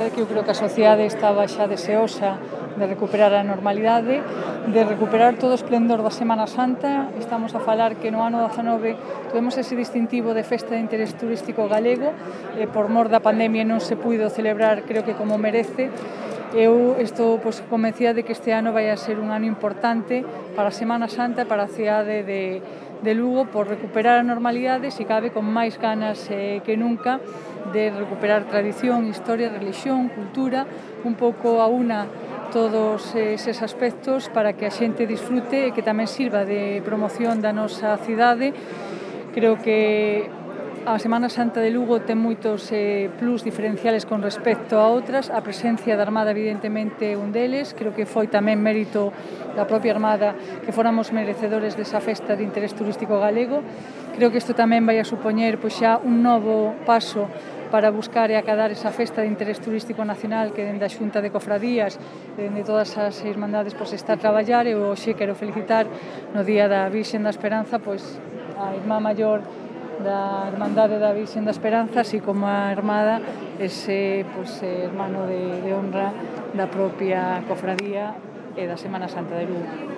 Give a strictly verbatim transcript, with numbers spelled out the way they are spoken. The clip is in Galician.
Que eu creo que a sociedade estaba xa deseosa de recuperar a normalidade, de recuperar todo o esplendor da Semana Santa. Estamos a falar que no ano dezanove tuvemos ese distintivo de festa de interés turístico galego, e por mor da pandemia non se puido celebrar, creo que como merece. Eu estou pois, convencida de que este ano vai a ser un ano importante para a Semana Santa e para a cidade de, de Lugo, por recuperar a normalidade, se cabe con máis ganas eh, que nunca, de recuperar tradición, historia, religión, cultura, un pouco a una todos eses aspectos para que a xente disfrute e que tamén sirva de promoción da nosa cidade. Creo que a Semana Santa de Lugo ten moitos eh, plus diferenciales con respecto a outras. A presencia da Armada evidentemente é un deles. Creo que foi tamén mérito da propia Armada que fóramos merecedores desa festa de interés turístico galego. Creo que isto tamén vai a supoñer pois, xa un novo paso para buscar e acadar esa festa de interés turístico nacional que dende a Xunta de Cofradías, dende todas as irmandades, pois, está a traballar. E hoxe quero felicitar no Día da Virxen da Esperanza pois, a irmá maior da Irmandade da Virxen da Esperanza, así como a Armada, ese pois, hermano de, de honra da propia cofradía e da Semana Santa de Lugo.